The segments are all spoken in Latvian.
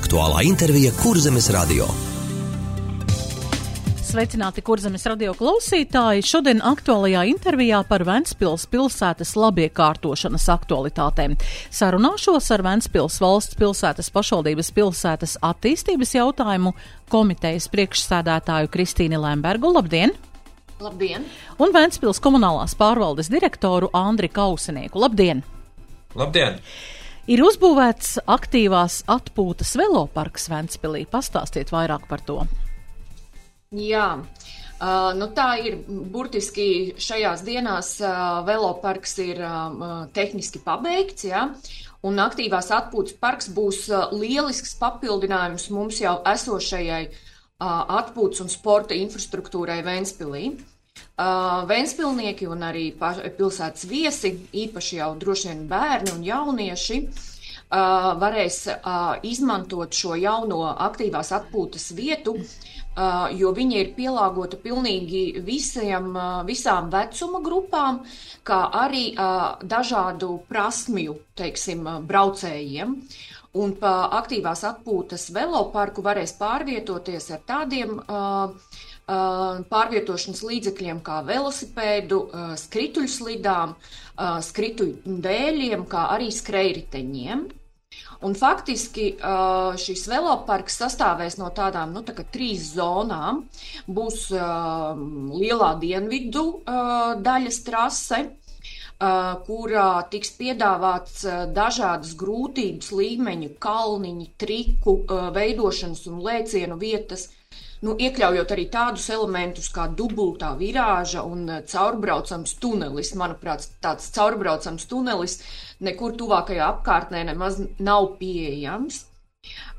Aktuālā intervija Kurzemes radio. Sveicināti Kurzemes radio klausītāji! Šodien aktuālajā intervijā par Ventspils pilsētas labiekārtošanas aktualitātēm. Sarunāšos ar Ventspils valsts pilsētas pašvaldības pilsētas attīstības jautājumu komitejas priekšsēdētāju Kristīni Lembergu. Labdien! Labdien! Un Ventspils komunālās pārvaldes direktoru Andri Kausinieku. Labdien! Labdien! Ir uzbūvēts aktīvās atpūtas veloparks Ventspilī. Pastāstiet vairāk par to. Jā, tā ir burtiski šajās dienās veloparks ir tehniski pabeigts, jā, un aktīvās atpūtas parks būs lielisks papildinājums mums jau esošajai atpūtas un sporta infrastruktūrai Ventspilī. Ventspilnieki un arī pilsētas viesi, īpaši jau droši vien bērni un jaunieši, varēs izmantot šo jauno aktīvās atpūtas vietu, jo viņa ir pielāgota pilnīgi visām vecuma grupām, kā arī dažādu prasmju, braucējiem. Un pa aktīvās atpūtas veloparku varēs pārvietoties ar tādiem pārvietošanas līdzekļiem kā velosipēdu, skrituļslidām, skrituļdēļiem, kā arī skrejriteņiem. Un faktiski šis veloparks sastāvēs no tādām, 3 zonām. Būs lielā dienvidu daļas trase, kurā tiks piedāvāts dažādas grūtības līmeņu, kalniņu, triku veidošanas un lēcienu vietas, iekļaujot arī tādus elementus kā dubultā virāža un caurbraucams tunelis. Manuprāt, tāds caurbraucams tunelis nekur tuvākajā apkārtnē nemaz nav pieejams.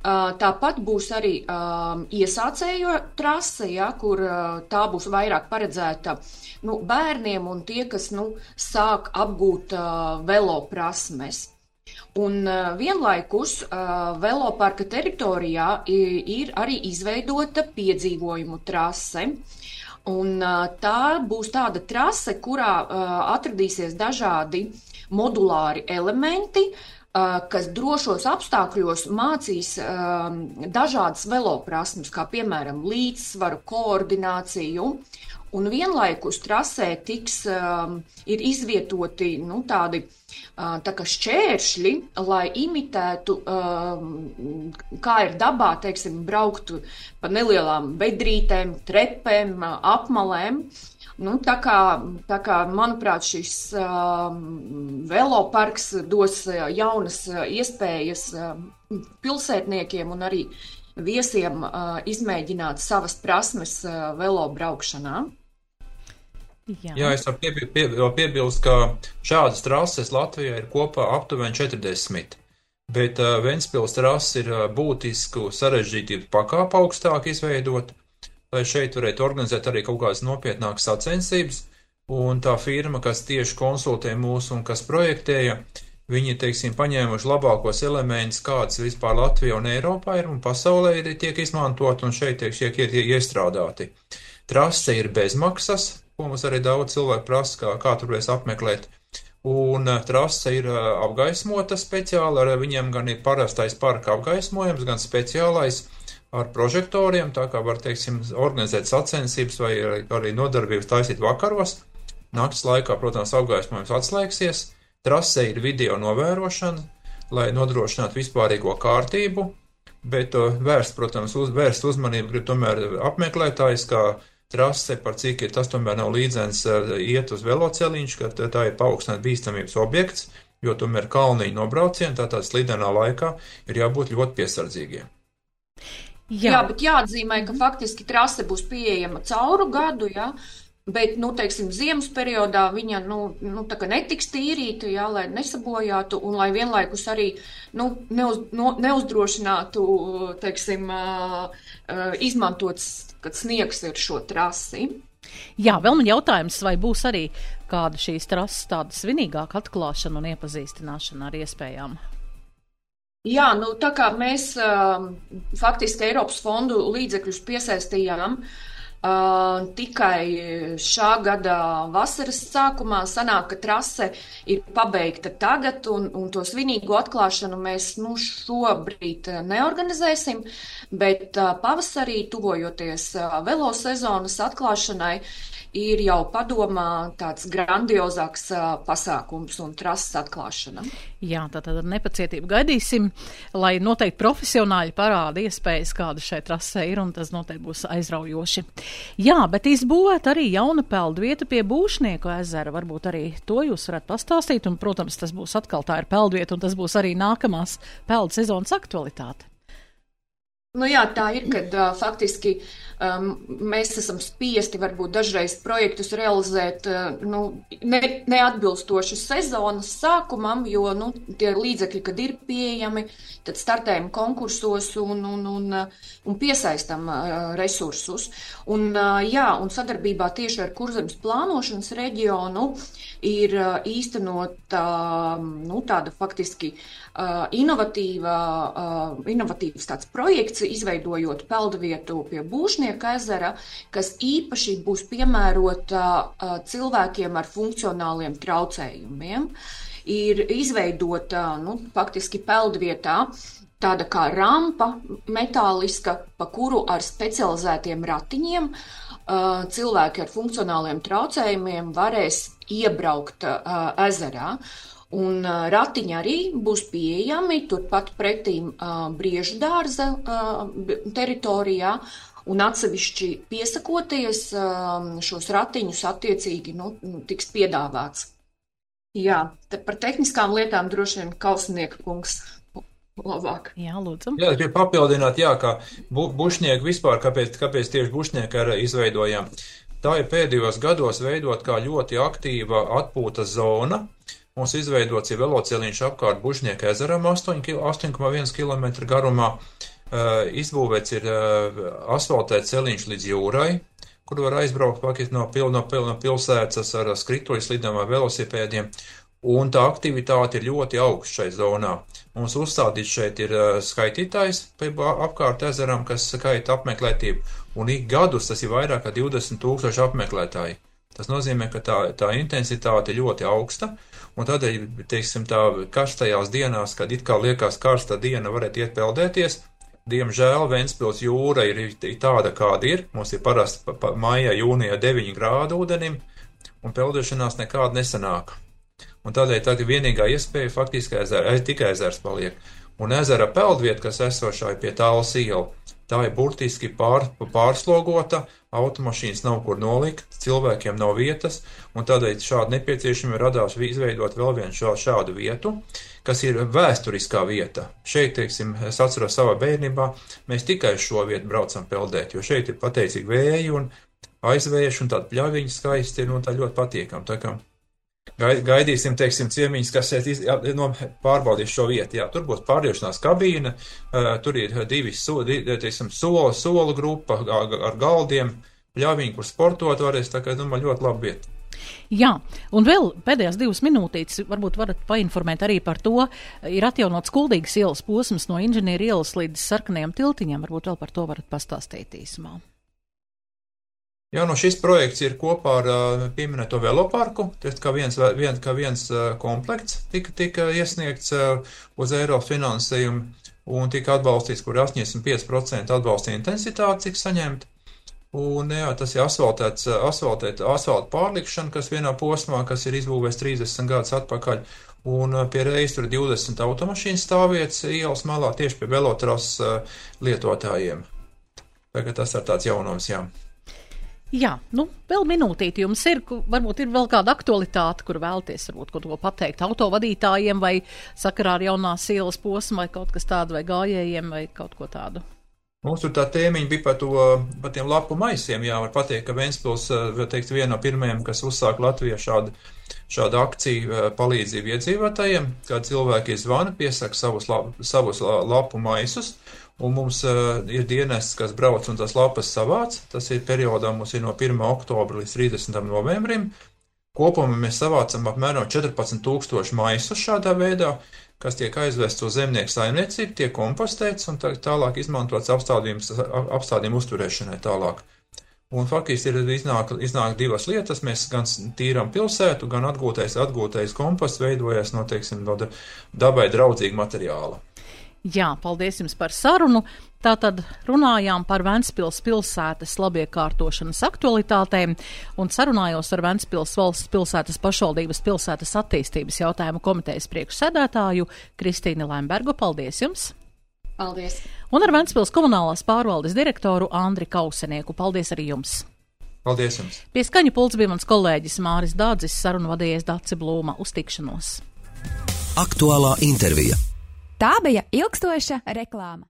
Tāpat būs arī iesācējo trase, kur tā būs vairāk paredzēta bērniem un tie, kas sāk apgūt veloprasmes. Un vienlaikus veloparka teritorijā ir arī izveidota piedzīvojumu trase. Un tā būs tāda trase, kurā atradīsies dažādi modulāri elementi, kas drošos apstākļos mācīs dažādas veloprasmes, kā piemēram līdzsvaru, koordināciju. Un vienlaikus trasē ir izvietoti tādi tā kā šķēršļi, lai imitētu, kā ir dabā, braukt pa nelielām bedrītēm, trepēm, apmalēm. Tā kā, manuprāt, šis veloparks dos jaunas iespējas pilsētniekiem un arī viesiem izmēģināt savas prasmes velobraukšanā. Jā, es varu piebilst, ka šādas trases Latvijā ir kopā aptuveni 40, bet Ventspils trase ir būtisku sarežģītību pakāpu augstāk izveidot, lai šeit varētu organizēt arī kaut kādas nopietnākas sacensības, un tā firma, kas tieši konsultē mūs un kas projektēja, viņi, paņēmuši labākos elementus, kādas vispār Latvijā un Eiropā ir un pasaulē tiek izmantot un šeit tiek iestrādāti. Trase ir bezmaksas, ko mums arī daudz cilvēku prasa, kā tur varēs apmeklēt. Un trase ir apgaismota speciāli, ar viņiem gan ir parastais parka apgaismojums, gan speciālais ar prožektoriem, tā kā var, organizēt sacensības vai arī nodarbības taisīt vakaros. Nakts laikā, protams, apgaismojums atslēgsies. Trasē ir video novērošana, lai nodrošinātu vispārīgo kārtību, bet vērst uzmanību grib tomēr apmeklētājs, kā trase, par cik tas tomēr nav līdzens iet uz veloceliņš, ka tā ir paaugstināt bīstamības objekts, jo tomēr kalniņu nobraucieni, tātad slidenā laikā ir jābūt ļoti piesardzīgiem. Jā, bet jāatzīmē, ka faktiski trase būs pieejama cauru gadu, jā. Bet, ziemas periodā viņa, tā kā netiks tīrīta, jā, lai nesabojātu un lai vienlaikus arī, neuzdrošinātu, izmantot, kad sniegs ir šo trasi. Jā, vēl man jautājums, vai būs arī kāda šīs trases tāda svinīgāka atklāšana un iepazīstināšana ar iespējām? Jā, tā kā mēs faktiski Eiropas fondu līdzekļus piesaistījām Tikai šā gada vasaras sākumā sanāk, ka trase ir pabeigta tagad, un to svinīgo atklāšanu mēs šobrīd neorganizēsim, bet pavasarī, tuvojoties velosezonas atklāšanai, ir jau padomā tāds grandiozāks pasākums un trases atklāšana. Jā, tātad ar nepacietību gaidīsim, lai noteikti profesionāļi parāda iespējas, kāda šai trasē ir, un tas noteikti būs aizraujoši. Jā, bet izbūvēt arī jauna peldvieta pie Būšnieku ezera. Varbūt arī to jūs varat pastāstīt, un, protams, tas būs atkal tā ir peldvieta, un tas būs arī nākamās peldu sezonas aktualitāte. Jā, tā ir, kad faktiski mēs esam spiesti varbūt dažreiz projektus realizēt neatbilstoši sezonas sākumam, jo tie līdzekļi, kad ir pieejami, tad startējam konkursos un piesaistam resursus. Un sadarbībā tieši ar Kurzemes plānošanas reģionu ir īstenot tāda faktiski inovatīvs tāds projekts, izveidojot peldvietu pie Būšnieku ezera, kas īpaši būs piemērota cilvēkiem ar funkcionāliem traucējumiem. Ir izveidota, faktiski peldvietā tāda kā rampa metāliska, pa kuru ar specializētiem ratiņiem cilvēki ar funkcionāliem traucējumiem varēs iebraukt ezerā. Un ratiņi arī būs pieejami turpat pretīm Briežu dārza teritorijā, un atsevišķi piesakoties šos ratiņus attiecīgi tiks piedāvāts. Jā, par tehniskām lietām droši vien Kausnieka kungs labāk. Jā, lūdzu. Jā, gribu papildināt, kā Bušnieku vispār, kāpēc tieši Bušnieku arī izveidojām. Tā ir pēdējos gados veidot kā ļoti aktīva atpūtas zona. Mums izveidots ir veloceliņš apkārt Bušnieku ezeram 8,1 km garumā. Izbūvēts ir asfaltēts celiņš līdz jūrai, kur var aizbraukt no pilsētas ar skrituļslidām vai velosipēdiem. Un tā aktivitāte ir ļoti augsta šai zonā. Mums uzstādīts šeit ir skaitītājs apkārt ezeram, kas skaita apmeklētību. Un ik gadus tas ir vairāk kā 20,000 apmeklētāji. Tas nozīmē, ka tā intensitāte ir ļoti augsta. Un tādēļ, teiksim, tā karstajās dienās, kad it kā liekas karsta diena, varētu iet peldēties. Diemžēl Ventspils jūra ir tāda, kāda ir. Mums ir parasti maijā, jūnijā 9 grādu ūdenim, un peldēšanās nekāda nesanāk. Un tādēļ tā ir vienīgā iespēja faktiski tikai ezers paliek. Un ezera peldvieta, kas esošā ir pie Tālas iela, tā ir burtiski pārslogota, automašīnas nav kur nolikt, cilvēkiem nav vietas, un tādēļ šāda nepieciešama radās izveidot vēl vienu šādu vietu, kas ir vēsturiskā vieta. Šeit, teiksim, es atceros savā bērnībā, mēs tikai šo vietu braucam peldēt, jo šeit ir pateicīgi vēji un aizvējuši, un tāda pļaviņa skaisti ir, tā ļoti patīkam. Tā kā gaidīsim, teiksim, ciemiņus, kas pārbaudīs šo vietu. Jā, tur būs pārļaušanās kabīna, tur ir solu grupa ar galdiem, pļaviņi, kur sportot varēs, tā kā, ļoti laba vieta. Jā, un vēl pēdējās 2 minūtītes varbūt varat painformēt arī par to, ir atjaunots Kuldīgas ielas posms no Inženieru ielas līdz Sarkanajam tiltiņam, varbūt vēl par to varat pastāstīt īsumā. Jā, šis projekts ir kopā ar pieminēto veloparku, tas kā viens komplekts tika iesniegts uz Eiropas finansējumu un tika atbalstīts, kur 85% atbalsta intensitāte, cik saņemt. Un jā, tas ir asfalta pārlikšana, kas vienā posmā, kas ir izbūvēts 30 gadus atpakaļ, un pie reiz tur 20 automašīnas stāvvietas ielas malā tieši pie velotras lietotājiem. Tagad tas ir tāds jaunums, jā. Jā, vēl minūtīti jums ir, varbūt ir vēl kāda aktualitāte, kur vēlties varbūt kaut ko pateikt autovadītājiem vai sakarā ar jaunās ielas posmu vai kaut kas tādu vai gājējiem vai kaut ko tādu. Mums tur tā tēmiņa bija par tiem lapu maisiem, jā, var pateikt, ka Ventspils, teikt, viena no pirmajiem, kas uzsāk Latvijā šādu akciju palīdzību iedzīvotājiem, kad cilvēki zvana, piesaka savus lapu maisus, un mums ir dienests, kas brauc un tas lapas savāc. Tas ir periodā, mums ir no 1. oktobra līdz 30. novembrim. Kopumā mēs savācam apmēram 14,000 maisus šādā veidā, kas tiek aizvests uz zemnieku saimniecību, tiek kompostēts un tālāk izmantots apstādījumu uzturēšanai tālāk. Un faktiski ir iznāk divas lietas. Mēs gan tīram pilsētu, gan atgūtais komposts veidojas no, teiksim, no dabai draudzīga materiāla. Jā, paldies jums par sarunu. Tātad runājām par Ventspils pilsētas labiekārtošanas aktualitātēm un sarunājos ar Ventspils valsts pilsētas pašvaldības pilsētas attīstības jautājumu komitejas priekšsēdētāju Kristīnu Lembergu. Paldies jums! Paldies! Un ar Ventspils komunālās pārvaldes direktoru Andri Kausenieku. Paldies arī jums! Paldies jums! Pie skaņu pults bija mans kolēģis Māris Dādzis, sarunu vadījies Dace Blūma. Uz tikšanos! Aktuālā intervija. Tā bija ilgstoša reklāma.